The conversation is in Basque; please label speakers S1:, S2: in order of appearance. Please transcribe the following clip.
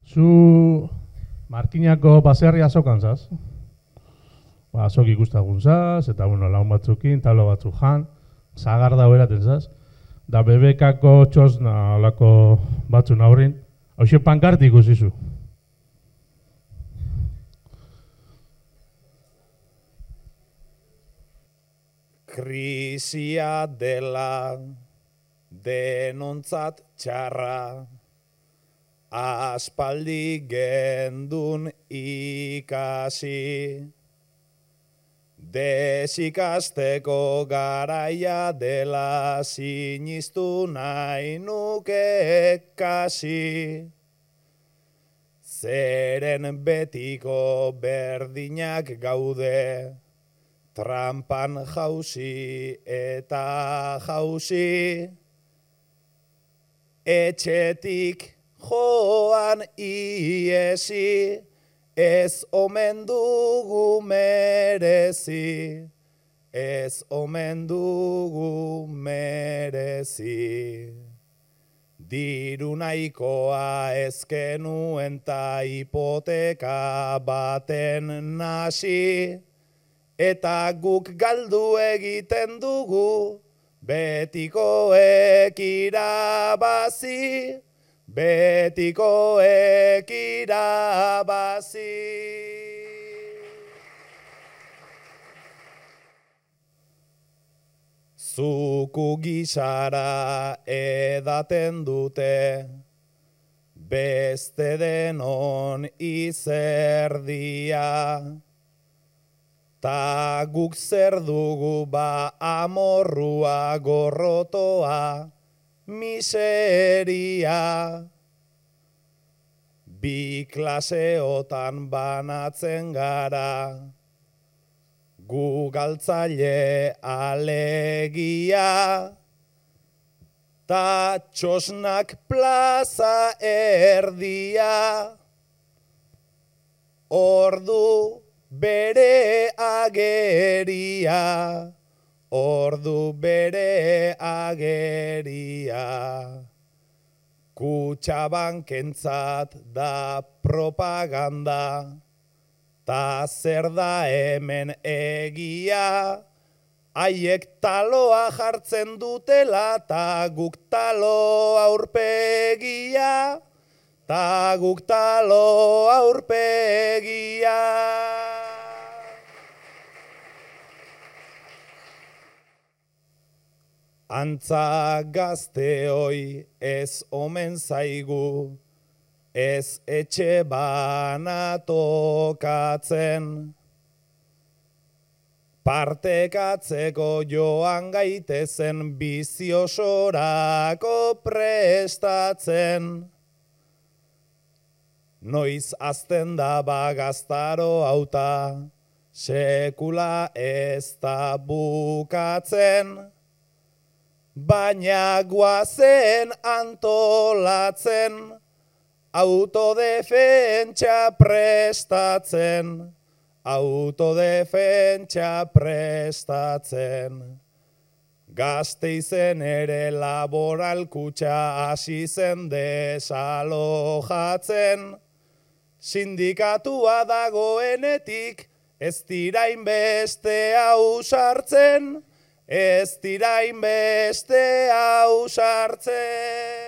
S1: Zu Markinako baserria azokan zaz? Azok ikustagun zaz, eta laun batzukin, talo batzuk jan, zagar da beraten zaz. Da bebekako txosna olako batzun aurrin, hauxe pankarti ikusizu.
S2: Krisia dela denontzat txarra, aspaldi gendun ikasi. Desikasteko garaia dela sinistu nahi nuke kasi. Zeren betiko berdinak gaude, trampan jauzi eta jauzi. Etxetik joan iesi, ez omen dugu merezi, ez omen dugu merezi. Diru nahikoa ezkenuen ta hipoteka baten nasi, eta guk galdu egiten dugu, betikoek irabazi. Betikoek irabazi. Zuku gisara edaten dute, beste denon izerdia. Ta guk zer dugu ba amorrua gorrotoa, miseria. Bi klaseotan banatzen gara, gu galtzaile alegia. Ta txosnak plaza erdia, ordu bere ageria. Ordu bere ageria. Kutxabankentzat da propaganda, ta zer da hemen egia. Haiek taloa jartzen dutela, ta guk talo aurpegia. Ta guk talo aurpegia. Antza gazteoi ez omen zaigu, ez etxe bana tokatzen. Partekatzeko joan gaitezen biziosorako prestatzen. Noiz azten da bagaztaro hauta, sekula ez da bukatzen. Baina guazen antolatzen, autodefentsa prestatzen, autodefentsa prestatzen. Gasteizen ere laboral kutxa hasi zen desalojatzen, sindikatua dagoenetik ez dira inbeste ausartzen, ez dira inbeste ausartzen.